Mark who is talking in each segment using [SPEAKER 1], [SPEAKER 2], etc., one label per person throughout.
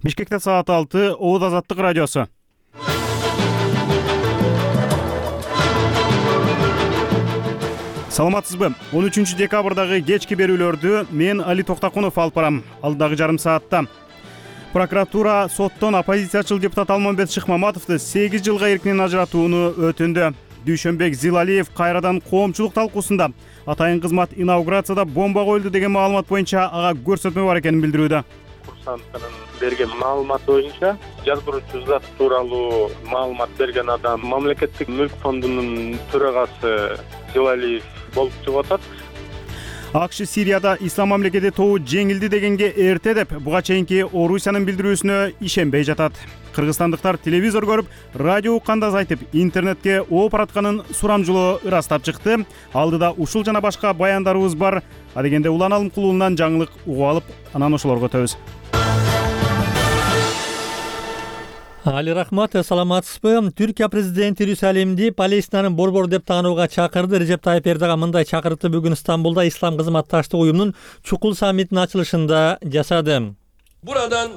[SPEAKER 1] Бишкекте саат 6, Ооз Азаттык радиосу. Саламатсызбы? 13 декабрдагы кечки берүүлөрдү мен Али Токтакунов алып барам. Алдагы жарым саатта прокуратура соттон оппозициячыл депутат Алмамбет Шыкмаматовду 8 жылга эркинен ажыратууну өтүндү. Дүйшөнбек Зилалиев кайрадан коомчулук талкуусунда атайын кызмат инаугурацияда бомба коюлду деген маалымат боюнча ага көрсөтмө бар экенин билдирүүдө.
[SPEAKER 2] Курсанттын берген маалымат боюнча жаздыруучу зат тууралуу маалымат берген адам мамлекеттик мүлк фондунун төрагасы Зилалиев болуп чыгып атат.
[SPEAKER 1] АКШ Сирияда ислам мамлекети тобу жеңилди дегенге эрте деп буга чейинки Орусиянын билдирүүсүнө ишенбей жатат. Кыргызстандыктар телевизор көрүп, радио укканда айтып, интернетке ооп баратканын сурамжылоо ырастап чыкты. Алдыда ушул жана башка баяндарыбыз бар. Адегенде Улан Алымкулунан жаңылык угуп алып, анан ошолорго өтөбүз.
[SPEAKER 3] Али рахмат, саламатсызбы? Түркия президенти Иерусалимди Палестинанын борбору деп таанууга чакырды. Режеп Тайып Эрдоган мындай чакырыкты бүгүн Стамбулда Ислам кызматташтык уюмунун чукул саммитинин ачылышында жасады.
[SPEAKER 4] Buradan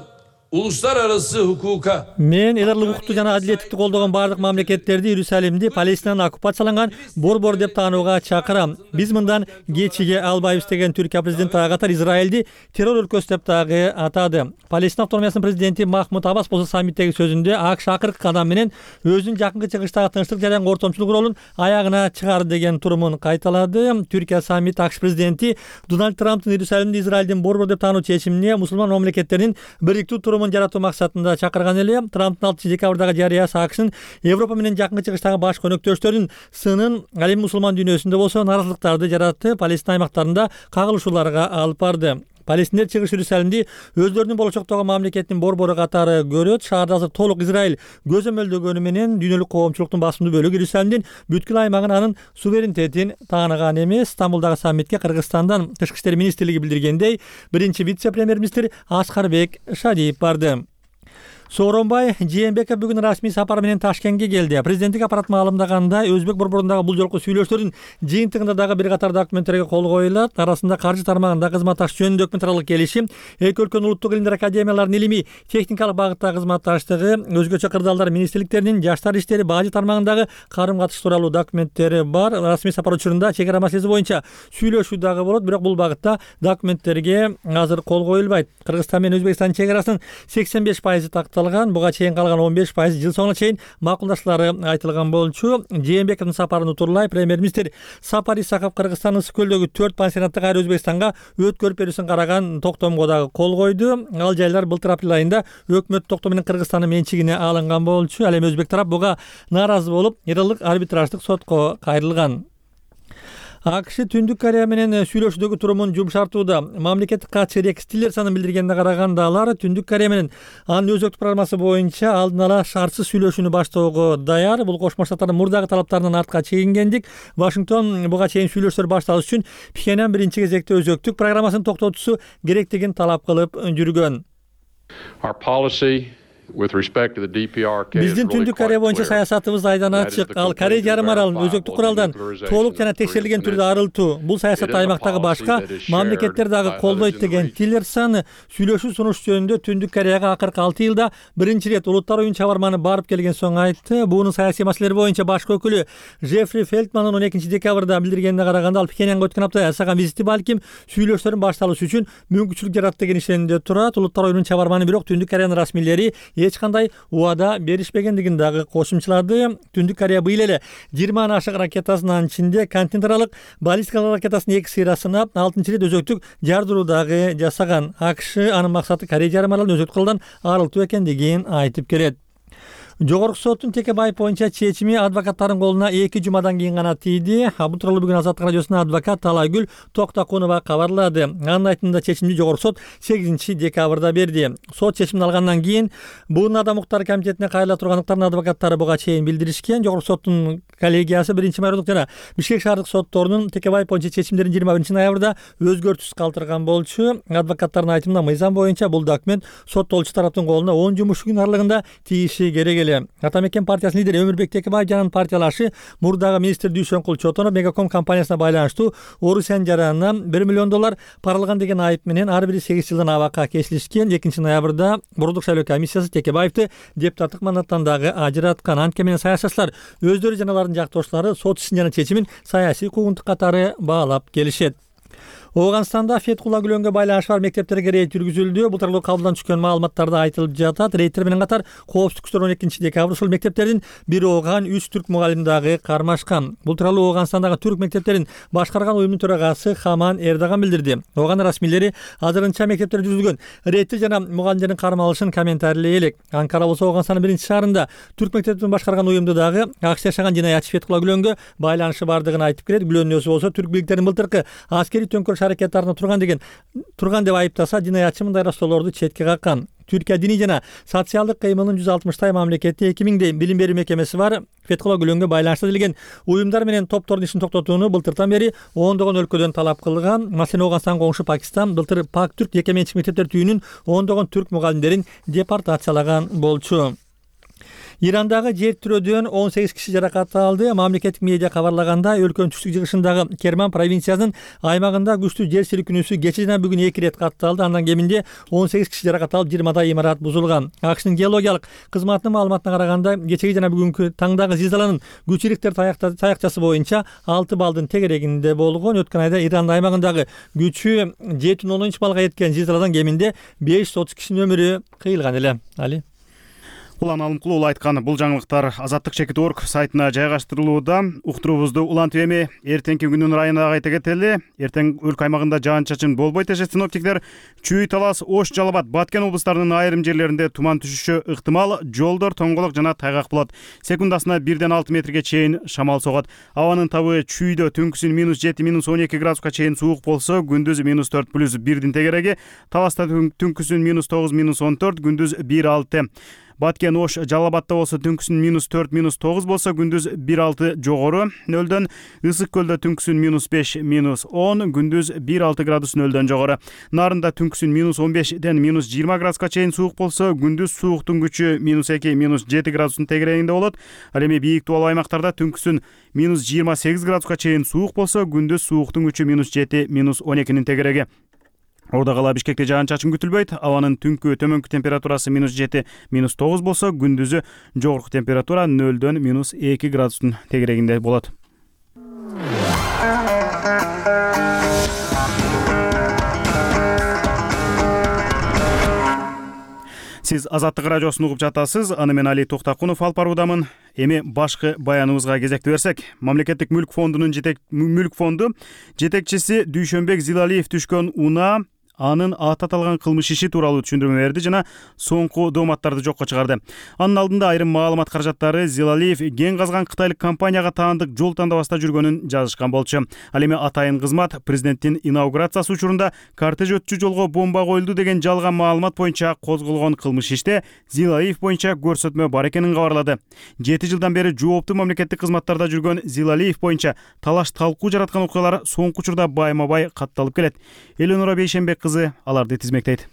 [SPEAKER 4] uluslararası hukuka
[SPEAKER 3] Мен эдарлык укукту жана адилеттикти колдогон бардык мамлекеттерди Иерусалимди Палестинанын оккупацияланган борбор деп таанууга чакырам. Биз мындан кечиге албайбыз деген Түркия президенти ага катар Израилди террор өлкөсү деп дагы атады. Палестина автономиясынын президенти Махмуд Аббас болсо саммиттеги сөзүндө АКШ акыркы кадам менен өзүнүн жакынкы чыгыштагы тынчтык жана ортомчулук ролун аягына чыгарды деген турумун кайталады. Түркия саммит АКШ президенти Дональд Трамптын Иерусалимди Израилдин борбор деп таануу чечимине мусулман мамлекеттердин бириктүү турумун жаратуу максатында чакырган эле. Трамптын 6 декабрдагы жарыясы АКШнын Европа менен жакынкы чыгыштагы баш көнөктөштөрүнүн сынын ал эми мусулман дүйнөсүндө болсо наразылыктарды жаратты, Палестина аймактарында кагылышууларга алып барды. Палестиндер чыгыш Иерусалимди өздөрүнүн болочоктогу мамлекеттин борбору катары көрөт. Шаарда азыр толук Израиль көзөмөлдөгөнү менен дүйнөлүк коомчулуктун басымдуу бөлүгү Иерусалимдин бүткүл аймагын анын суверенитетин тааныган эмес. Стамбулдагы саммитке Кыргызстандан Тышкы иштер министрлиги билдиргендей, биринчи вице-премьер-министр Аскарбек Шадиев барды. Сооронбай Жээнбеков бүгүн расмий сапар менен Ташкентке келди. Президенттик аппарат маалымдаганда өзбек борборундагы бул жолку сүйлөшүүлөрдүн жыйынтыгында дагы бир катар документтерге кол коюлат. Арасында каржы тармагында кызматташтык жөнүндө өкмөтаралык келишим, эки өлкөнүн улуттук илимдер академияларынын илимий техникалык багыттагы кызматташтыгы, өзгөчө кырдаалдар министрликтеринин жаштар иштери, бажы тармагындагы карым-катыш тууралуу документтери бар. Расмий сапар учурунда чек ара маселеси боюнча сүйлөшүү дагы болот, бирок бул багытта документтерге азыр кол коюлбайт. Кыргызстан менен Өзбекстандын чек арасынын 85% такталган. Буга чейин калган 15% жыл соңуна чейин макулдашлары айтылган болчу. Жээнбековдун сапарын утурлай премьер-министр Сапар Исаков Кыргызстандын Ысык көлдөгү 4 пансионатты кайра Өзбекстанга өткөрүп берүүсүн караган токтомго дагы кол койду. Ал жайлар былтыр апрель айында өкмөт токтому менен Кыргызстандын менчигине алынган болчу. Ал эми өзбек тарап буга нааразы болуп, эралык арбитраждык сотко кайрылган. АКШ Түндүк Корея менен сүйлөшүүдөгү турумун жумшартууда. Мамлекеттик катчы Рекс Тиллерсонун билдиргенине караганда алар Түндүк Корея менен анын өзөктүк программасы боюнча алдын ала шартсыз сүйлөшүүнү баштоого даяр. Бул Кошмо Штаттардын мурдагы талаптарынан артка чегингендик. Вашингтон буга чейин сүйлөшүүлөр башталыш үчүн Пхеньян биринчи кезекте өзөктүк программасын токтотуусу керектигин талап кылып жүргөн. Биздин Түндүк Корея боюнча саясатыбыз айдан ачык. Ал Корея жарым аралын өзөктүк куралдан толук жана текшерилген түрдө арылтуу. Бул саясат аймактагы башка мамлекеттер дагы колдойт деген Тиллерсон сүйлөшүү сунуш жөнүндө Түндүк Кореяга акыркы 6 жылда биринчи ирет улуттар оюн чабарманы барып келген соң айтты. Буунун саясий маселелер боюнча башкы өкүлү Джеффри Фелтмандын 12 декабрда билдиргенине караганда, ал Пхеньянга өткөн апта жасаган визити балким сүйлөшүүлөрдүн башталышы үчүн мүмкүнчүлүк жарат деген ишенимде турат. Улуттар оюнун чабарманы бирок Түндүк Кореянын расмийлери эч кандай убада беришпегендигин дагы кошумчалады. Түндүк Корея быйыл эле 20 ашык ракетасынын ичинде континентаралык баллистикалык ракетасынын 2 сыйрасына 6-рет өзөктүк жардыруу дагы жасаган. АКШ анын максаты Корея жарым аралын өзөктүк куралдан арылтуу экендигин айтып келет. Жогорку соттун Текебаев боюнча чечими адвокаттардын колуна 2 жумадан кийин гана тийди. Бул тууралуу бүгүн Азаттык радиосуна адвокат Талайгүл Токтакунова кабарлады. Анын айтымында чечимди Жогорку сот 8 декабрда берди. Сот чечимин алгандан кийин бул адам укуктары комитетине кайрыла тургандыктарын адвокаттары буга чейин билдиришкен. Жогорку соттун коллегиясы 1-майрдык жана Бишкек шаардык сотторунун Текебаев боюнча чечимдерин 21-ноябрда өзгөртүүсүз калтырган болчу. Адвокаттардын айтымында мыйзам боюнча бул документ соттолчу тараптын колуна 10 жумуш күн аралыгында тийиши керек эле. Ата мекен партиясынын лидери Өмүрбек Текебаев партиялашы мурдагы министр Дүйшөнкул Чотонов Мегаком компаниясына байланыштуу Орусиян жаранынан $1 миллион пара алган деген айып менен ар бири 8 жылдан абакка кесилишкен. 2-ноябрда Бордук шайлоо комиссиясы Текебаевди депутаттык мандаттан дагы ажыраткан. Анткени менен саясатчылар өздөрү жана алардын жактоошулары сот ишин жана чечимин саясий куугунтук катары баалап келишет. Ооганстанда Фетхулла Гүлөнгө байланышы бар мектептерге рейд жүргүзүлдү. Бул тууралуу кабылдан түшкөн маалыматтарда айтылып жатат. Рейдтер менен катар коопсуздук күчтөр 12-декабрь ушул мектептердин бир ооган 3 түрк мугалим дагы кармашкан. Бул тууралуу Ооганстандагы түрк мектептерин башкарган уюмдун төрагасы Хаман Эрдаган билдирди. Ооган расмийлери азырынча мектептерде жүргүзүлгөн рейдти жана мугалимдердин кармалышын комментарийлей элек. Анкара болсо Ооганстандын 1-шаарында түрк мектептерин башкарган уюмду дагы акча жашаган жинаятчы Фетхулла Гүлөнгө байланышы бардыгын айтып келет. Гүлөндүн өзү болсо түрк бийликтеринин былтыркы аскерий төңкөрүш аракеттарына турган деп айыптаса, жинаятчы мындай раштоолорду четке каккан. Түркия диний жана социалдык кыймылынын 160 мамлекетте 2000 билим берүү мекемеси бар. Фетхулла Гүлөнгө байланыштуу делген уюмдар менен топтордун ишин токтотууну былтыртан бери ондогон өлкөдөн талап кылган. Маселен, Ооганстан коңшу Пакистан былтыр Пак түрк жеке менчик мектептер түйүнүн ондогон түрк мугалимдерин депортациялаган болчу. Ирандагы жер тирөөдөн 18 киши жаракат алды. Мамлекеттик медиа кабарлаганда, өлкөнүн түштүк жыгышындагы Керман провинциясынын аймагында күчтүү жер силкинүүсү кече жана бүгүн 2 рет катталды. Андан кеминде 18 киши жаракат алып, 20 имарат бузулган. АКШнын геологиялык кызматынын маалыматына караганда, кечеги жана бүгүнкү таңдагы зилзаланын күчүрүктөр таякчасы боюнча 6 балдын тегерегинде болгон. Өткөн айда Иран аймагындагы күчү 7,3 балга жеткен зилзаладан кеминде 530 кишинин өмүрү кыйылган эле. Али
[SPEAKER 1] Улан Алымкулуу айткан бул жаңылыктар Азаттык.org сайтына жайгаштырылууда. Уктуруубузду улантып эми эртеңки күндүн ырайына кайта кетели. Эртең өлкө аймагында жаан-чачын болбойт дешет синоптиктер. Чүй, Талас, Ош, Жалал Абад, Баткен облустарынын айрым жерлеринде туман түшүшү ыктымал. Жолдор тоңголок жана тайгак болот. Секундасына 1-6 метрге чейин шамал согот. Абанын табы Чүйдө түнкүсүн -7, -12 градуска чейин суук болсо, күндүз -4 + 1 тегереги. Таласта түнкүсүн -9, -14, күндүз 1-6. Баткен, Ош, Жалал Абадда болсо түнкүсүн -4, -9 болсо, күндүз 1-6 жогору нөлдөн. Ысык көлдө түнкүсүн -5, -10, күндүз 1-6 градус нөлдөн жогору. Нарында түнкүсүн -15ден -20 градуска чейин суук болсо, күндүз сууктун күчү -2, -7 градустун тегерегинде болот. Ал эми бийик дубал аймактарда түнкүсүн -28 градуска чейин суук болсо, күндүз сууктун күчү -7, -12нин тегереги. Ордо кала Бишкекте жаан-чачын күтүлбөйт. Абанын түнкү төмөнкү температурасы -7, -9 болсо, күндүзү жогорку температура 0дөн -2 градустун тегерегинде болот. Сиз Азаттык радиосун угуп жатасыз. Аны мен Али Токтакунов алып баруудамын. Эми башкы баяныбызга кезекти берсек, Мамлекеттик мүлк фондунун мүлк фонду жетекчиси Дүйшөнбек Зилалиев түшкөн унаа анын аталган кылмыш иши тууралуу түшүндүрмө берди жана соңку дооматтарды жокко чыгарды. Анын алдында айрым маалымат каражаттары Зилалиев кен казган кытайлык компанияга таандык жол тандабаста жүргөнүн жазышкан болчу. Ал эми атайын кызмат президенттин инаугурациясы учурунда кортеж өтчү жолго бомба коюлду деген жалган маалымат боюнча козголгон кылмыш иште Зилалиев боюнча көрсөтмө бар экенин кабарлады. 7 жылдан бери жооптуу мамлекеттик кызматтарда жүргөн Зилалиев боюнча талаш талкуу жараткан окуялар соңку учурда байма-бай катталып келет. Эленора Бейшенбек аларды тизмектейт.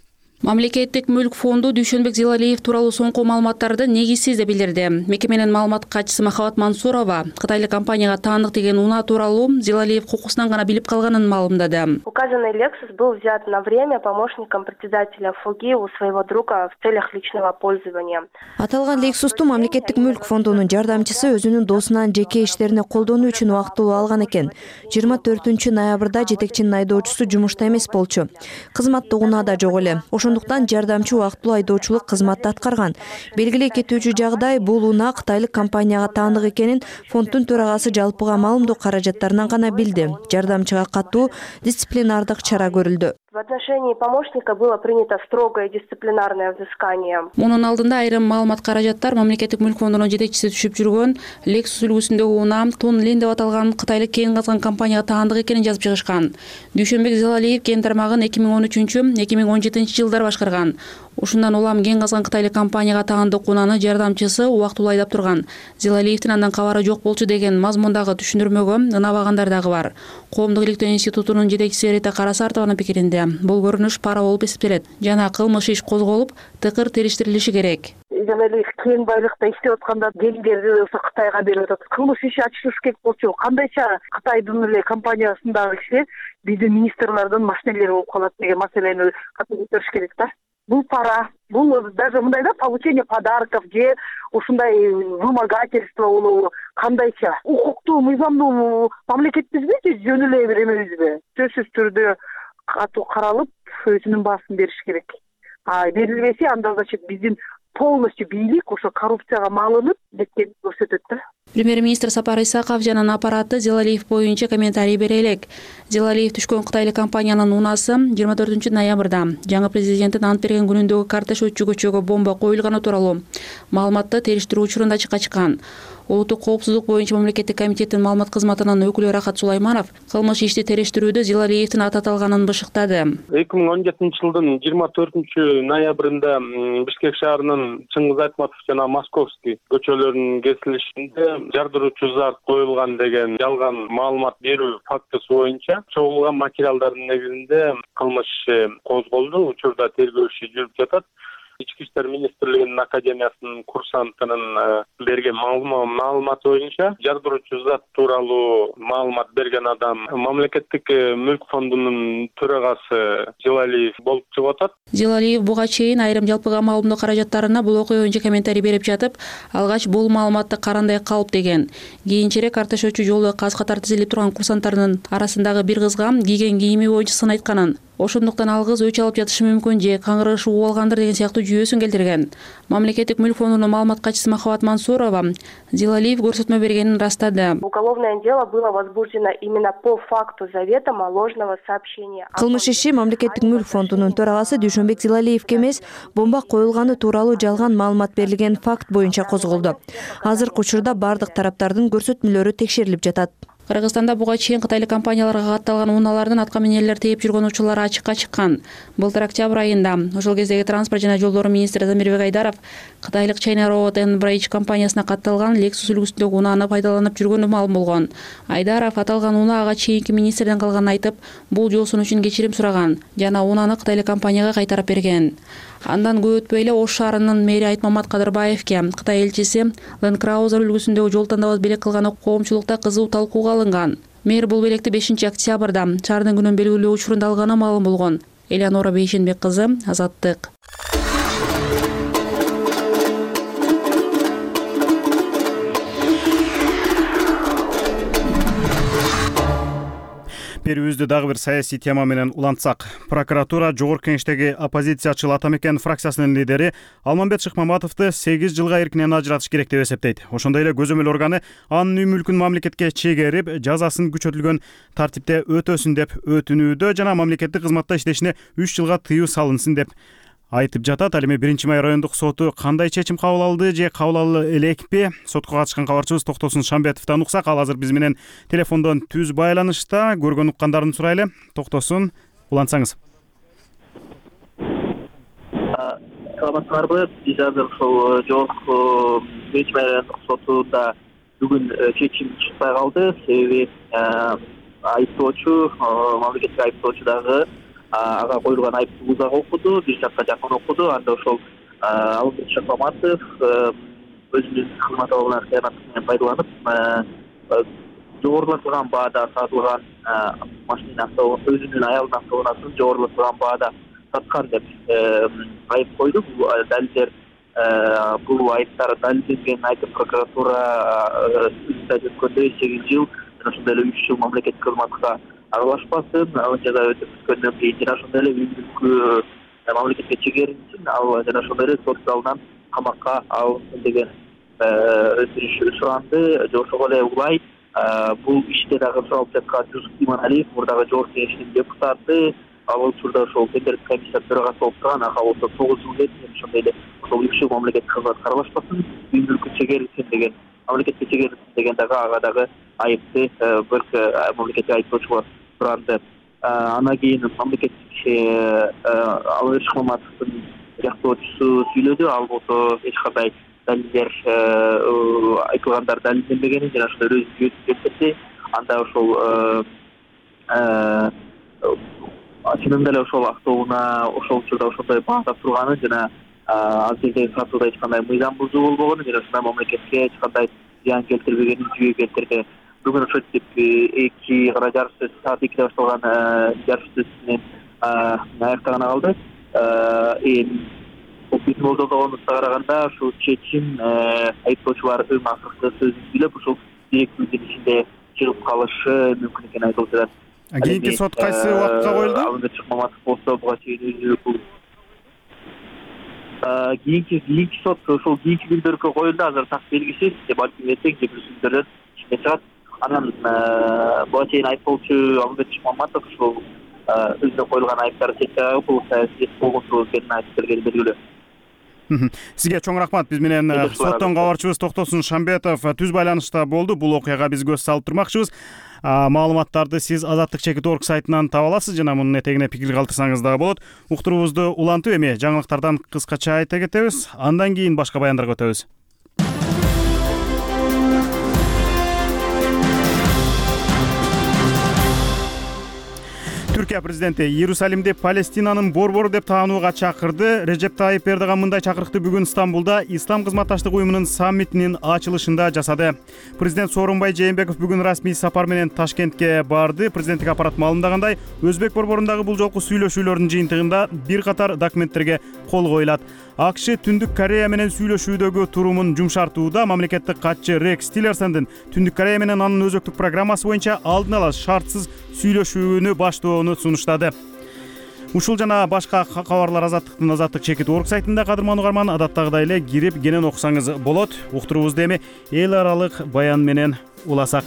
[SPEAKER 5] Мамлекеттик мүлк фонду Дүйшөнбек Зилалиев тууралуу соңку маалыматтарды негизсиз деп билдирди. Мекеменин маалымат катчысы Махабат Мансурова кытайлык компанияга таандык деген унаа тууралуу Зилалиев кокусунан гана билип калганын маалымдады.
[SPEAKER 6] Указанный Lexus был взят на время помощником председателя ФОГИ у своего друга в целях личного пользования.
[SPEAKER 7] Аталган Lexus'ту мамлекеттик мүлк фондунун жардамчысы өзүнүн досунан жеке иштерине колдонуу үчүн убактылуу алган экен. 24-ноябрда жетекчинин айдоочусу жумушта эмес болчу. Кызматтык унаа да жок эле. Ошондуктан жардамчы убактылуу айдоочулук кызматты аткарган. Белгилей кетүүчү жагдай, бул унаа кытайлык компанияга таандык экенин фонддун төрагасы жалпыга маалымдоо каражаттарынан гана билди. Жардамчыга катуу дисциплинардык чара көрүлдү.
[SPEAKER 6] В отношении помощника было принято строгое дисциплинарное взыскание.
[SPEAKER 5] Мунун алдында айрым маалымат каражаттар мамлекеттик мүлк фондунун жетекчиси түшүп жүргөн Lexus үлгүсүндөгү унаа Тун Лин деп аталган кытайлык кен казган компанияга таандык экенин жазып чыгышкан. Дүйшөнбек Зилалиев кен тармагын 2013-2017 жылдары башкарган. Ушундан улам кен казган кытайлык компанияга таандык унааны жардамчысы убактылуу айдап турган. Зилалиевдин андан кабары жок болчу деген мазмундагы түшүндүрмөгө ынабагандар дагы бар. Коомдук иликтөө институтунун жетекчиси Рита Карасартованын пикиринде бул көрүнүш пара болуп эсептелет жана кылмыш иш козголуп, тыкыр териштирилиши керек.
[SPEAKER 8] Жана эле кен байлыкта иштеп атканда кендерди ошо Кытайга берип атат. Кылмыш иши ачылыш керек болчу. Кандайча Кытайдын эле компаниясындагы кишилер биздин министрлердин машинелери болуп калат деген маселени катуу көтөрүш керек да. Бул пара, бул даже мындай да, получение подарков же ушундай вымогательство болобу, кандайча укуктуу, мыйзамдуу мамлекетпизби же жөн эле бир эмебизби? Сөзсүз түрдө катуу каралып, өзүнүн баасын бериш керек. Берилбесе анда значит биздин полностью бийлик ошо коррупцияга малынып кеткенин көрсөтөт да.
[SPEAKER 5] Премьер-министр Сапар Исаков жанын аппараты Зилалиев боюнча комментарий бере элек. Зилалиев түшкөн кытайлык компаниянын унаасы 24 ноябрда жаңы президенттин ант берген күнүндөгү кортеж өтчү көчөгө бомба коюлганы тууралуу маалыматты териштирүү учурунда ачыкка чыккан. Улуттук коопсуздук боюнча мамлекеттик комитеттин маалымат кызматынын өкүлү Рахат Сулайманов кылмыш ишти териштирүүдө Зилалиевдин аты аталганын бышыктады.
[SPEAKER 2] 2017 жылдын 24 ноябрында Бишкек шаарынын Чыңгыз Айтматов жана Московский көчөлөрүнүн кесилишинде жардыруучу зат коюлган деген жалган маалымат берүү фактысы боюнча чогулган материалдардын негизинде кылмыш козголду. Учурда тергөө иши жүрүп жатат. Ички иштер министрлигинин академиясынын курсантынын берген маалыматы боюнча жардыруучу зат тууралуу маалымат берген адам мамлекеттик мүлк фондунун төрагасы Зилалиев болуп чыгып атат.
[SPEAKER 5] Зилалиев буга чейин айрым жалпыга маалымдоо каражаттарына бул окуя боюнча комментарий берип жатып, алгач бул маалыматты карандай калып деген. Кийинчерээк кортеж өтчү жолдо каз катар тизилип турган курсанттардын арасындагы бир кызга кийген кийими боюнча сын айтканын, ошондуктан ал кыз өч алып жатышы мүмкүн же каңгырыгышы угуп алгандыр деген сыяктуу жүйөсүн келтирген. Мамлекеттик мүлк фондунун маалымат катчысы Махабат Мансурова Зилалиев көрсөтмө бергенин растады.
[SPEAKER 6] Уголовное дело было возбуждено именно по факту заведомо ложного сообщения.
[SPEAKER 7] Кылмыш иши мамлекеттик мүлк фондунун төрагасы Дүйшөнбек Зилалиевге эмес, бомба коюлганы тууралуу жалган маалымат берилген факт боюнча козголду. Азыркы учурда бардык тараптардын көрсөтмөлөрү текшерилип жатат. Кыргызстанда буга чейин кытайлык компанияларга катталган унаалардын атка минерлер тээп жүргөн учурлары ачыкка чыккан. Былтыр октябрь айында ошол кездеги транспорт жана жолдор министри Замирбек Айдаров кытайлык China Road and Bridge компаниясына катталган Lexus үлгүсүндөгү унааны пайдаланып жүргөнү маалым болгон. Айдаров аталган унаага чейинки министрден калганын айтып, бул жолсун үчүн кечирим сураган жана унааны кытайлык компанияга кайтарып берген. Андан көп өтпөй эле Ош шаарынын мэри Айтмамат Кадырбаевке Кытай элчиси Land Cruiser үлгүсүндөгү жол тандабас белек кылганы коомчулукта кызуу талкууга алынган. Мэр бул белекти 5 октябрда шаардын күнүн белгилөө учурунда алганы маалым болгон. Элеонора Бейшенбек кызы, Азаттык.
[SPEAKER 1] Берүүбүздү дагы бир саясий тема менен улантсак, прокуратура жогорку кеңештеги оппозициячыл Ата Мекен фракциясынын лидери Алмамбет Шыкмаматовду 8 жылга эркинен ажыратыш керек деп эсептейт. Ошондой эле көзөмөл органы анын үй мүлкүн мамлекетке чегерип, жазасын күчөтүлгөн тартипте өтөсүн деп өтүнүүдө жана мамлекеттик кызматта иштешине 3 жылга тыюу салынсын деп айтып жатат. Ал эми 1-май райондук соту кандай чечим кабыл алды же кабыл ала элекпи? Сотко катышкан кабарчыбыз Токтосун Шамбетовдон уксак, ал азыр биз менен телефондон түз байланышта. Көргөн уккандарын сурайлы. Токтосун, улантсаңыз.
[SPEAKER 9] Саламатсыздарбы? Биз азыр ошол жогорку 1-май райондук сотунда бүгүн чечим чыкпай калды. Себеби айыптоочу, мамлекеттик айыптоочу дагы ага коюлган айыпты узак окуду, бир жакка жакын окуду. Анда ошол Алмамбет Шыкмаматов өзүнүн кызмат абалынан кыянаттык менен пайдаланып, жогорулатылган баада сатылган машинасы, өзүнүн аялынын автоунаасын жогорулатылган баада саткан деп айып койду. Бул далилдер, бул айыптар далилденген айтып прокуратура өткөндө 8 жыл, ошондой эле 3 жыл мамлекеттик кызматка аралашпасын, ал жаза өтүп бүткөндөн кийин жана ошондой эле үй мүлкү мамлекетке чегерилсин, ал жана ошондой эле сот залынан камакка алынсын деген өтүнүш суранды. Ошого эле улай бул иште дагы суралып жаткан Жусуп Иманалиев, мурдагы жогорку кеңештин депутаты, ал учурда ошол тендердик комиссиянын төрагасы болуп турган ага болсо 9 жыл кетти. Ошондой эле ошол 3 жыл мамлекеттик кызмат каралбашпасын, үй мүлкүн чегерилсин деген, мамлекетке чегерилсин деген ага дагы айыпты бир мамлекеттик айыптоочу бар туранды. Андан кийин мамлекеттик Алыш Маматовдун жактоочусу сүйлөдү. Ал болсо эч кандай далилдер айтылгандар далилденбегенин жана ошондой өзү келтирди. Анда ошол чынында эле ошол автоунаа ошол учурда ошондой баатап турганын жана ал жердеги сатууда эч кандай мыйзам бузуу болбогонун жана ушундай мамлекетке эч кандай зыян келтирбегенин жүйө келтирди. Бүгүн ошо 2 жарыш сөз саат 2-де башталган жарыш сөз менен аяктаганы калды. Биздин болжолдогонубузга караганда ушул чечим айыптоочулардын акыркы сөзүн сүйлөп ушул 2 күндүн ичинде чыгып калышы мүмкүн экенин айтылып жатат.
[SPEAKER 1] Кийинки сот кайсы убакытка коюлду?
[SPEAKER 9] Алымбек Маматов болсо буга чейин өзү кийинки сот ошол кийинки күндөргө коюлду. Азыр так белгисиз, балким эртең же бүрсү күндөрдөн ишине чыгат. Анан буга чейин айыптоочу Алымбек Маматов ошол өзүнө коюлган айыптарды чечүү бул саясий болгонсуу экенин айтып бергени белгилүү.
[SPEAKER 1] Сизге чоң рахмат. Биз менен соттон кабарчыбыз Токтосун Шамбетов түз байланышта болду. Бул окуяга биз көз салып турмакчыбыз. Маалыматтарды сиз Азаттык Чекит.org сайтынан таба аласыз жана мунун этегине пикир калтырсаңыз дагы болот. Уктуруубузду улантып эми жаңылыктардан кыскача айта кетебиз. Андан кийин башка баяндарга өтөбүз. Түркия президенти Иерусалимди Палестинанын борбору деп таанууга чакырды. Режеп Тайип Эрдоган мындай чакырыкты бүгүн Стамбулда Ислам кызматташтык уюмунун саммитинин ачылышында жасады. Президент Сооронбай Жээнбеков бүгүн расмий сапар менен Ташкентке барды. Президенттик аппарат маалымдагандай, Өзбек борборундагы бул жолку сүйлөшүүлөрдүн жыйынтыгында бир катар документтерге кол коюлат. АКШ Түндүк Корея менен сүйлөшүүдөгү турумун жумшартууда. Мамлекеттик катчы Рекс Тиллерсондун Түндүк Корея менен анын өзөктүк программасы боюнча алдын ала шартсыз сүйлөшүүнү баштоону сунуштады. Ушул жана башка кабарлар Азаттык Чекит.org сайтында кадырман угарман адаттагыдай эле кирип кенен окусаңыз болот. Уктуруубузду эми эл аралык баян менен уласак.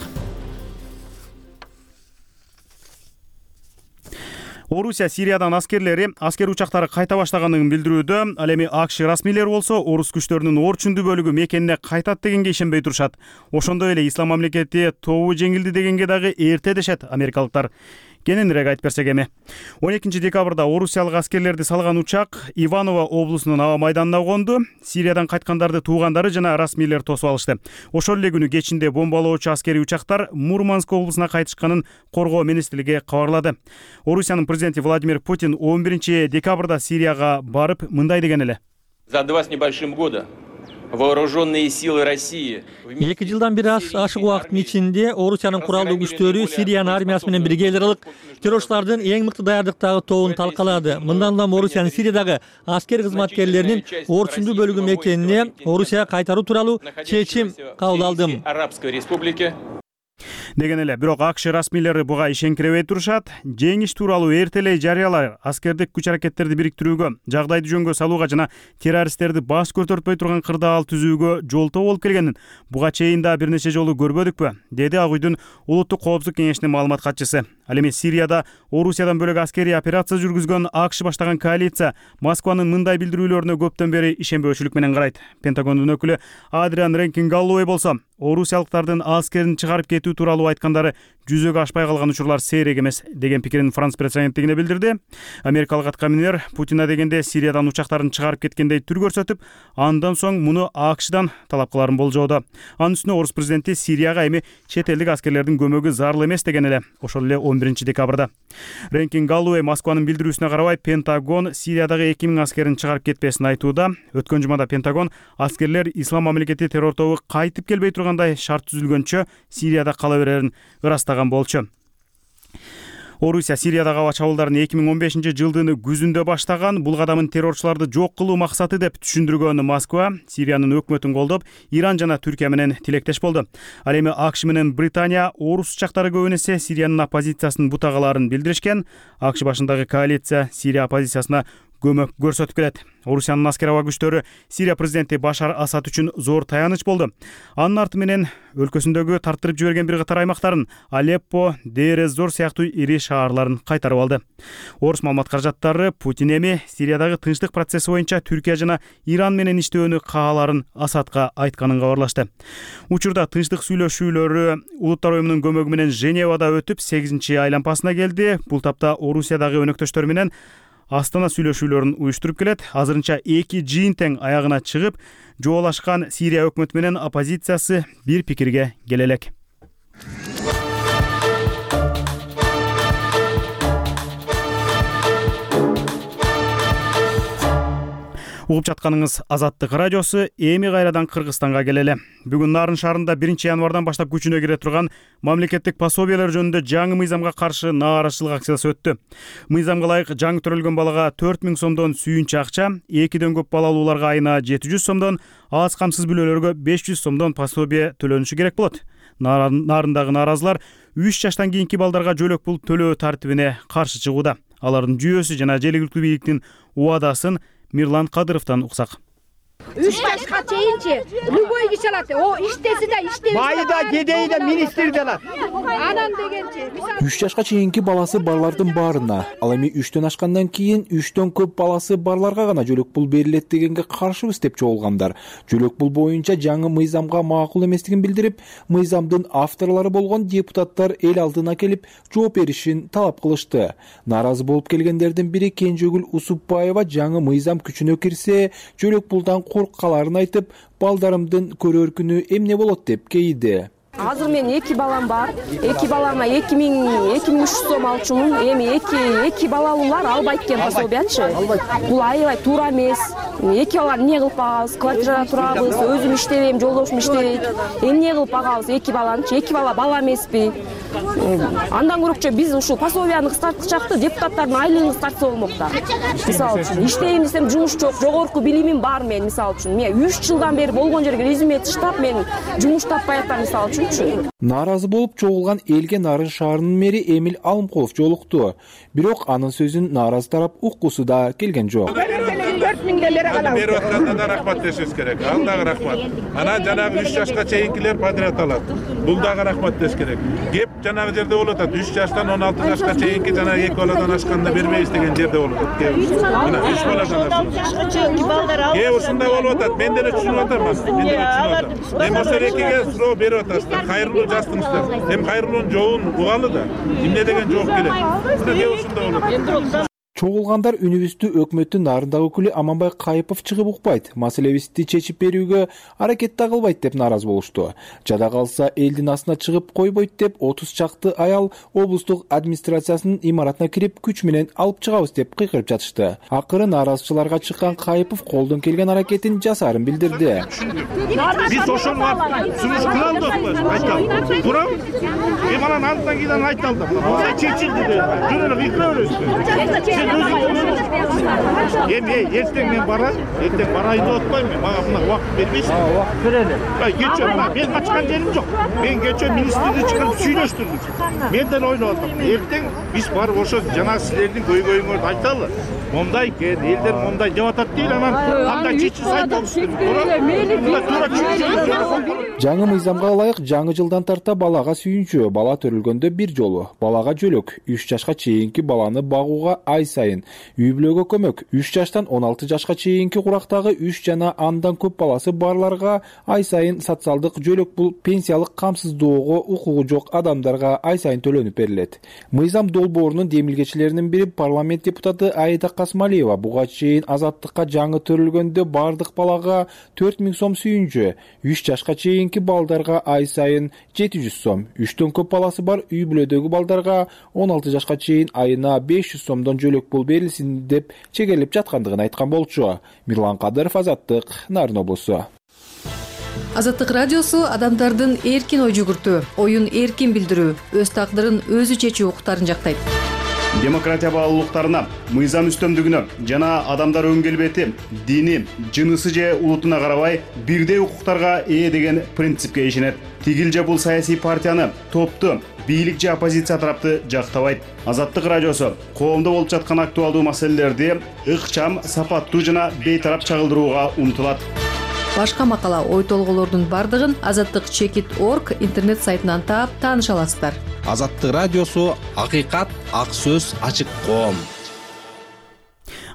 [SPEAKER 1] Орусия Сириядан аскер учактары кайта баштаганын билдирүүдө. Ал эми АКШ расмийлери болсо орус күчтөрүнүн орчундуу бөлүгү мекенине кайтат дегенге ишенбей турушат. Ошондой эле Ислам мамлекети тобу жеңилди дегенге дагы эрте дешет америкалыктар. Кененирээк айтып берсек эми. 12 декабрда орусиялык аскерлерди салган учак Иваново облусунун аба майданына конду. Сириядан кайткандарды туугандары жана расмийлер тосуп алышты. Ошол эле күнү кечинде бомбалоочу аскерий учактар Мурманск облусуна кайтышканын коргоо министрлиги кабарлады. Орусиянын президенти Владимир Путин 11 декабрда Сирияга барып мындай деген эле.
[SPEAKER 10] За 2 с небольшим года вооруженные силы России
[SPEAKER 3] 2 жылдан бир ашык убакыттын ичинде Орусиянын куралдуу күчтөрү Сириянын армиясы менен бирге эл аралык террорчулардын эң мыкты даярдыктагы тобун талкалады. Мындан улам Орусиянын Сириядагы аскер кызматкерлеринин орчундуу бөлүгү мекенине Орусияга кайтаруу тууралуу чечим кабыл алдым.
[SPEAKER 10] Арабской республики
[SPEAKER 1] деген эле. Бирок АКШ расмийлери буга ишенкиребей турушат. Жеңиш тууралуу эртелей жарыялар аскердик күч-аракеттерди бириктирүүгө, жагдайды жөнгө салууга жана террористтерди баш көтөртпөй турган кырдаал түзүүгө жолтоо болуп келгенин буга чейин да бир нече жолу көрбөдүкпү, деди Ак үйдүн улуттук коопсуздук кеңешинин маалымат катчысы. Ал эми Сирияда Орусиядан бөлөк аскерий операция жүргүзгөн АКШ баштаган коалиция Москванын мындай билдирүүлөрүнө көптөн бери ишенбөөчүлүк менен карайт. Пентагондун өкүлү Адриан Ренкин-Галлоуэй болсо орусиялыктардын аскерин чыгарып кетүү тууралуу айткандары жүзөгө ашпай калган учурлар сейрек эмес деген пикирин Франс пресс агенттигине билдирди. Америкалык аткаминер Путина дегенде Сириядан учактарын чыгарып кеткендей түр көрсөтүп, андан соң муну АКШдан талап кыларын болжоодо. Анын үстүнө орус президенти Сирияга эми чет элдик аскерлердин көмөгү зарыл эмес деген эле ошол эле 11 декабрда. Ренкин-Галлоуэй Москванын билдирүүсүнө карабай Пентагон Сириядагы 2000 аскерин чыгарып кетпесин айтууда. Өткөн жумада Пентагон аскерлер Ислам мамлекети террор тобу кайтып келбей тургандай шарт түзүлгөнчө Сирияда кала берерин ырастаган болчу. Орусия Сириядагы аба чабуулдарын 2015 жылдын күзүндө баштаган. Бул кадамын террорчуларды жок кылуу максаты деп түшүндүргөн Москва Сириянын өкмөтүн колдоп, Иран жана Түркия менен тилектеш болду. Ал эми АКШ менен Британия орус учактары көбүн эсе Сириянын оппозициясынын бутагаларын билдиришкен. АКШ башындагы коалиция Сирия оппозициясына көмөк көрсөтүп келет. Орусиянын аскер аба күчтөрү Сирия президенти Башар Асад үчүн зор таяныч болду. Анын арты менен өлкөсүндөгү тарттырып жиберген бир катар аймактарын Алеппо, Дейр-эз-Зор сыяктуу ири шаарларын кайтарып алды. Орус маалымат каражаттары Путин эми Сириядагы тынчтык процесси боюнча Түркия жана Иран менен иштөөнү кааларын Асадка айтканын кабарлашты. Учурда тынчтык сүйлөшүүлөрү Улуттар уюмунун көмөгү менен Женевада өтүп 8-чи айлампасына келди. Бул тапта Орусиядагы өнөктөштөр менен Астана сүйлөшүүлөрүн уюштуруп келет. Азырынча 2 жыйын тең аягына чыгып, жоолашкан Сирия өкмөтү менен оппозициясы бир пикирге келе элек. Угуп жатканыңыз Азаттык радиосу. Эми кайрадан Кыргызстанга келели. Бүгүн Нарын шаарында 1-январдан баштап күчүнө кире турган мамлекеттик пособиялар жөнүндө жаңы мыйзамга каршы нааразычылык акциясы өттү. Мыйзамга ылайык жаңы төрөлгөн балага 4000 сомдон сүйүнчү акча, 2ден көп балалууларга айына 700 сомдон, аз камсыз бүлөлөргө 500 сомдон пособие төлөнүшү керек болот. Нарындагы нааразылар 3 жаштан кийинки балдарга жөлөк пул төлөө тартибине каршы чыгууда. Алардын жүйөсү жана жергиликтүү бийликтин убадасын Мирлан Кадыровдон уксак.
[SPEAKER 11] 3 жашка чейинчи любой киши алат. О иштеси да, иштебеси да.
[SPEAKER 12] Майда, кедей да, министр да алат.
[SPEAKER 11] Анан дегенчи.
[SPEAKER 13] 3 жашка чейинки баласы барлардын баарына, ал эми 3төн ашкандан кийин 3төн көп баласы барларга гана жөлөк пул берилет дегенге каршыбыз деп чогулгандар. Жөлөк пул боюнча жаңы мыйзамга макул эместигин билдирип, мыйзамдын авторлору болгон депутаттар эл алдына келип жооп беришин талап кылышты. Нааразы болуп келгендердин бири Кенжегүл Усупбаева жаңы мыйзам күчүнө кирсе, жөлөк пулдан корккаларын айтып, балдарымдын көрөр күнү эмне болот деп кейиди.
[SPEAKER 14] Азыр мен 2 балам бар. 2 балама 2300 сом алчумун. Эми 2 балалуулар албайт экен пособиячы. Бул аябай туура эмес. 2 бала эмне кылып багабыз? Квартирада турабыз, өзүм иштебейм, жолдошум иштебейт. Эмне кылып багабыз 2 баланычы? 2 бала эмеспи? Андан көрөкчө биз ушул пособияны кыскартчакты, депутаттардын айлыгын кыскартса болмок да. Мисалы үчүн иштейм десем жумуш жок, жогорку билимим бар мен мисалы үчүн. Мен 3 жылдан бери болгон жерге резюме таштап, мен жумуш таппай атам мисалы үчүн.
[SPEAKER 13] Нааразы болуп чогулган элге Нарын шаарынын мэри Эмил Алымкулов жолукту. Бирок анын сөзүн нааразы тарап уккусу да келген жок.
[SPEAKER 11] 4000 бере калабыз.
[SPEAKER 15] Берип атканда да рахмат дешибиз керек. Ал дагы рахмат. Анан жанагы 3 жашка чейинкилер подряд алат. Бул дагы рахмат деш керек. Кеп жанагы жерде болуп атат. 3 жаштан 16 жашка чейинки жанагы 2 баладан ашканда бербейбиз деген жерде болуп атат. Мына 3 баладан
[SPEAKER 11] 16 жашка чейинки балдар алып.
[SPEAKER 15] Кээ ушундай болуп атат. Мен деле түшүнүп атам. Мен деле түшүнүп атам. Эми ошол экиге суроо берип атасыздар. Кайрылуу жаздыңыздар. Эми кайрылуунун жообун угалы да. Эмне деген жооп келет. Мына кээ ушундай болуп атат.
[SPEAKER 13] Чогулгандар үнүбүздү өкмөттүн нарындагы өкүлү Аманбай Кайыпов чыгып укпайт, маселебизди чечип берүүгө аракет да кылбайт деп нааразы болушту. Жада калса элдин астына чыгып койбойт деп 30 чакты аял облустук администрациясынын имаратына кирип күч менен алып чыгабыз деп кыйкырып жатышты. Акыры нааразычыларга чыккан Кайыпов колдон келген аракетин жасаарын билдирди.
[SPEAKER 15] Биз ошону сунуш кыла алдыкпы? Айтам. Туурабы? Эми анан алдыдан кийин айталды. Мына чечилди деп. Жөн эле кыйкыра бересиз. Эми эртең мен барайын, эртең барайын деп атпаймынбы? Мага мына убакыт бербейсиз.
[SPEAKER 12] Убакыт берели.
[SPEAKER 15] Кечээ мына мен качкан жерим жок. Мен кечээ министрди чыгарып сүйлөштүрдүм. Мен деле ойлоп атам. Эртең биз барып ошо жана силердин көйгөйүңөрдү айталы. Момдай экен, элдер момдай деп атат дейли, анан кандай чечилсе айтабыз.
[SPEAKER 13] Жаңы мыйзамга ылайык жаңы жылдан тарта балага сүйүнчү, бала төрөлгөндө бир жолу, балага жөлөк, 3 жашка чейинки баланы багууга ай сайын, үй бүлөгө көмөк, 3 жаштан 16 жашка чейинки курактагы 3 жана андан көп баласы барларга ай сайын социалдык жөлөк пул пенсиялык камсыздоого укугу жок адамдарга ай сайын төлөнүп берилет. Мыйзам долбоорунун демилгечилеринин бири парламент депутаты Аида Касмалиева буга чейин Азаттыкка жаңы төрөлгөндө бардык балага 4000 сом сүйүнчү, 3 жашка чейинки балдарга ай сайын 700 сом, 3төн көп баласы бар үй бүлөдөгү балдарга 16 жашка чейин айына 500 сомдон жөлөк пул берилсин деп чегелеп жаткандыгын айткан болчу. Мирлан Кадыров, Азаттык, Нарын облусу.
[SPEAKER 16] Азаттык радиосу адамдардын эркин ой жүгүртүү, оюн эркин билдирүү, өз тагдырын өзү чечүү укуктарын жактайт.
[SPEAKER 1] Демократия баалуулуктарына, мыйзам үстөмдүгүнө жана адамдар өн келбети, дини, жынысы же улутуна карабай бирдей укуктарга ээ деген принципке ишенет. Тигил же бул саясий партияны, топту, бийлик же оппозиция тарапты жактабайт. Азаттык радиосу коомдо болуп жаткан актуалдуу маселелерди ыкчам, сапаттуу жана бейтарап чагылдырууга умтулат.
[SPEAKER 16] Башка макала, ой толгоолордун бардыгын azattik.org интернет сайтынан таап тааныша аласыздар.
[SPEAKER 17] Азаттык радиосу акыйкат, ак сөз, ачык коом.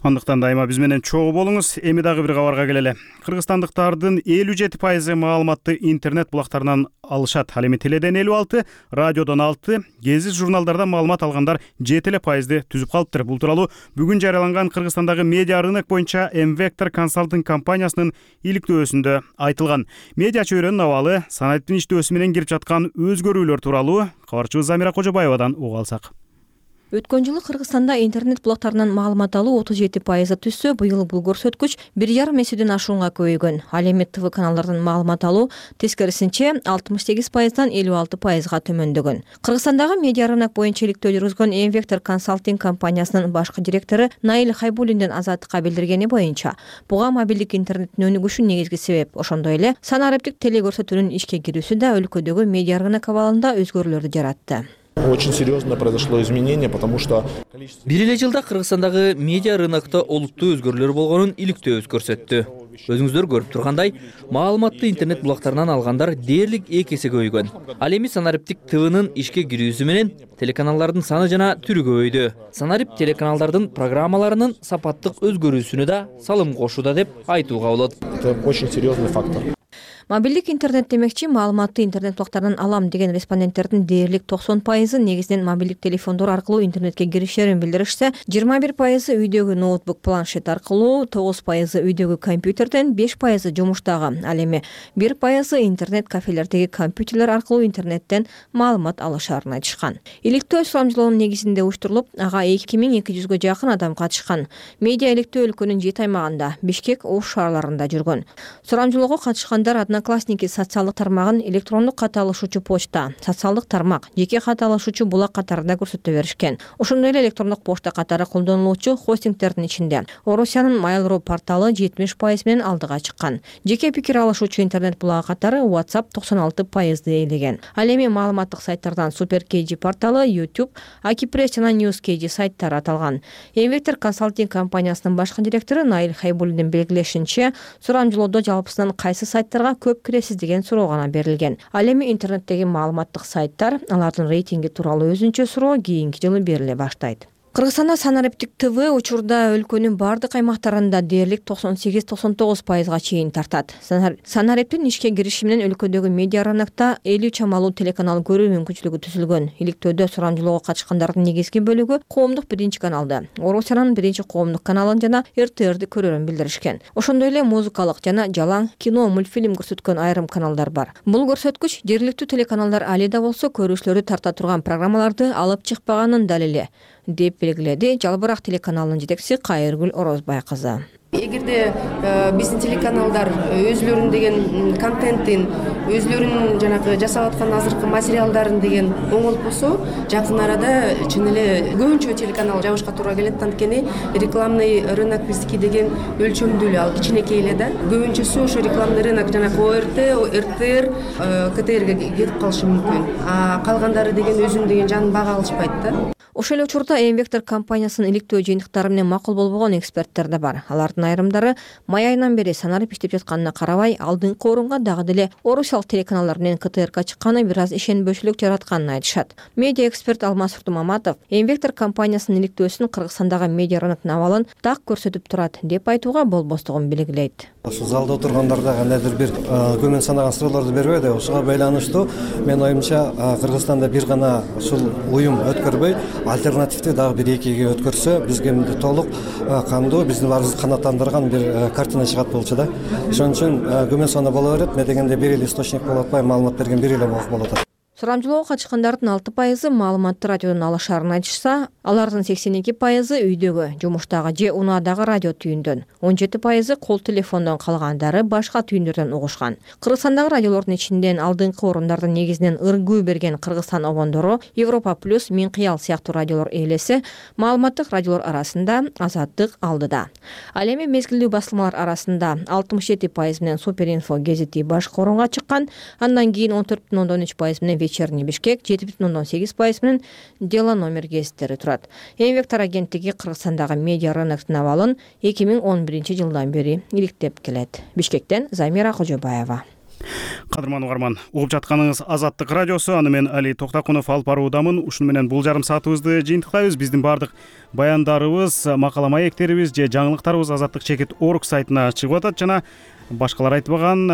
[SPEAKER 1] Андыктан дайыма биз менен чогуу болуңуз. Эми дагы бир кабарга келели. Кыргызстандыктардын 57% маалыматты интернет булактарынан алышат. Ал эми теледен 56, радиодон 6, гезит журналдардан маалымат алгандар 7% түзүп калыптыр. Бул тууралуу бүгүн жарыяланган Кыргызстандагы медиа рынок боюнча M-Vector консалтинг компаниясынын иликтөөсүндө айтылган. Медиа чөйрөнүн абалы, санариптин иштөөсү менен кирип жаткан өзгөрүүлөр тууралуу кабарчыбыз Замира Кожобаевадан угуп алсак.
[SPEAKER 7] Өткөн жылы Кыргызстанда интернет булактарынан маалымат алуу 37% түшсө, быйыл бул көрсөткүч 1,5 эседен ашуунга көбөйгөн. Ал эми ТВ каналдардан маалымат алуу тескерисинче 68%дан 56%га төмөндөгөн. Кыргызстандагы медиа рынок боюнча иликтөө жүргүзгөн M-Vector консалтинг компаниясынын башкы директору Наиль Хайбуллиндин Азаттыкка билдиргени боюнча, буга мобилдик интернеттин өнүгүшү негизги себеп. Ошондой эле санариптик телекөрсөтүүнүн ишке кирүүсү да өлкөдөгү медиа рынок абалында өзгөрүүлөрдү жаратты.
[SPEAKER 18] Очень серьезно произошло изменение, потому что
[SPEAKER 19] бир эле жылда Кыргызстандагы медиа рынокто олуттуу өзгөрүүлөр болгонун иликтөөбүз көрсөттү. Өзүңүздөр көрүп тургандай, маалыматты интернет булактарынан алгандар дээрлик 2 эсе көбөйгөн. Ал эми санариптик ТВнын ишке кирүүсү менен телеканалдардын саны жана түрү көбөйдү. Санарипт телеканалдардын программаларынын сапаттык өзгөрүүсүнө да салым кошууда деп айтууга болот.
[SPEAKER 18] Это очень серьезный фактор.
[SPEAKER 7] Мобилдик интернет демекчи, маалыматты интернет булактарынан алам деген респонденттердин дээрлик 90% негизинен мобилдик телефондор аркылуу интернетке киришерин билдиришсе, 21% үйдөгү ноутбук, планшет аркылуу, 9% үйдөгү компьютерден, 5% жумуштагы, ал эми 1% интернет кафелердеги компьютерлер аркылуу интернеттен маалымат алышарын айтышкан. Иликтөө сурамжылоонун негизинде уюштурулуп, ага 2200га жакын адам катышкан. Медиа иликтөө өлкөнүн 7 аймагында, Бишкек, Ош шаарларында жүргөн. Сурамжылоого катышкандар Одноклассники социалдык тармагын, электрондук кат алышуучу почта, социалдык тармак, жеке кат алышуучу булак катарында көрсөтө беришкен. Ошондой эле электрондук почта катары колдонулуучу хостингтердин ичинде Орусиянын Mail.ru порталы 70% менен алдыга чыккан. Жеке пикир алышуучу интернет булагы катары WhatsApp 96% ээлеген. Ал эми маалыматтык сайттардан SuperKG порталы, YouTube, Akipress жана NewsKG сайттары аталган. M-Vector консалтинг компаниясынын башкы директору Наиль Хайбуллиндин белгилешинче, сурамжылоодо жалпысынан кайсы сайттарга көп киресиз деген суроо гана берилген. Ал эми интернеттеги маалыматтык сайттар, алардын рейтинги тууралуу өзүнчө суроо кийинки жылы бериле баштайт. Кыргызстанда санариптик ТВ учурда өлкөнүн бардык аймактарында дээрлик 98-99%га чейин тартат. Санариптин ишке кириши менен өлкөдөгү медиа рынокто 50 чамалуу телеканал көрүү мүмкүнчүлүгү түзүлгөн. Иликтөөдө сурамжылоого катышкандардын негизги бөлүгү коомдук биринчи каналды, Орусиянын биринчи коомдук каналын жана РТРди көрөрүн билдиришкен. Ошондой эле музыкалык жана жалаң кино, мультфильм көрсөткөн айрым каналдар бар. Бул көрсөткүч жергиликтүү телеканалдар али да болсо көрүүчүлөрдү тарта турган программаларды алып чыкпаганын далили деп белгиледи Жалбырак телеканалынын жетекчиси Кайыргүл Орозбай кызы.
[SPEAKER 20] Эгерде биздин телеканалдар өзлөрүнүн деген контентин, өзлөрүнүн жанагы жасап аткан азыркы материалдарын деген оңолуп болсо, жакын арада чын эле көбүнчө телеканал жабышка туура келет. Анткени рекламный рынок биздики деген өлчөмдүү эле, ал кичинекей эле да. Көбүнчөсү ошо рекламный рынок жанагы ОРТ, РТР, КТРге кетип калышы мүмкүн. А калгандары деген өзүнүн деген жанын бага алышпайт да.
[SPEAKER 7] Ошол эле учурда M-Vector компаниясынын иликтөө жыйынтыктары менен макул болбогон эксперттер да бар. Алардын айрымдары май айынан бери санарип иштеп жатканына карабай, алдыңкы орунга дагы деле орусиялык телеканалдар менен КТРга чыкканы бир аз ишенбөөчүлүк жаратканын айтышат. Медиа эксперт Алмаз Уртумаматов M-Vector компаниясынын иликтөөсүн Кыргызстандагы медиа рыноктун абалын так көрсөтүп турат деп айтууга болбостугун белгилейт.
[SPEAKER 21] Ошол залда отургандарда кандайдыр бир көмөн санаган суроолорду бербейди. Ошого байланыштуу менин оюмча Кыргызстанда бир гана ушул уюм өткөрбөй, альтернативдүү дагы бир экиге өткөрсө, бизге толук кандуу, биздин баарыбызды канааттандырган бир картина чыгат болчу да. Ошон үчүн көмөн саны боло берет, мен дегенде бир эле источник болуп атпай, маалымат берген бир эле болуп атат.
[SPEAKER 7] Сурамжылоого катышкандардын 6% маалыматты радиодон алышарын айтышса, алардын 82% үйдөгү, жумуштагы же унаадагы радио түйүндөн, 17% кол телефондон, калгандары башка түйүндөрдөн угушкан. Кыргызстандагы радиолордун ичинен алдыңкы орундардын негизинен ыргуу берген Кыргызстан обондору, Европа плюс, Мен кыял сыяктуу радиолор ээлесе, маалыматтык радиолор арасында Азаттык алдыда. Ал эми мезгилдүү басылмалар арасында 67% менен Суперинфо гезити башкы орунга чыккан, андан кийин 14,3% менен Вечерний Бишкек, 7,8% менен Дело номер гезиттери турат. Эмгектер агенттиги Кыргызстандагы медиа рыноктун абалын 2011-жылдан бери иликтеп келет. Бишкектен Замира Кожобаева.
[SPEAKER 1] Кадырман угарман, угуп жатканыңыз Азаттык радиосу. Аны мен Али Токтакунов алып баруудамын. Ушуну менен бул жарым саатыбызды жыйынтыктайбыз. Биздин баардык баяндарыбыз, макала маектерибиз же жаңылыктарыбыз Азаттык.org сайтына чыгып атат жана башкалар айтпаган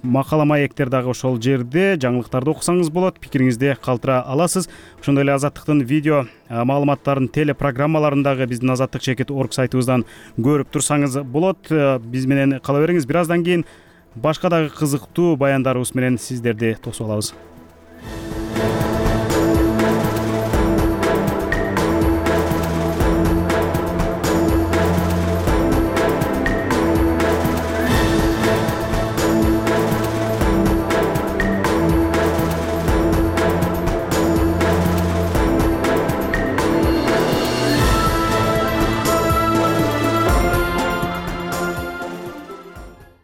[SPEAKER 1] макала маектер дагы ошол жерде. Жаңылыктарды окусаңыз болот, пикириңизди калтыра аласыз. Ошондой эле Азаттыктын видео маалыматтарын телепрограммаларын дагы биздин Азаттык.org сайтыбыздан көрүп турсаңыз болот. Биз менен кала бериңиз. Бир аздан кийин башка дагы кызыктуу баяндарыбыз менен сиздерди тосуп алабыз.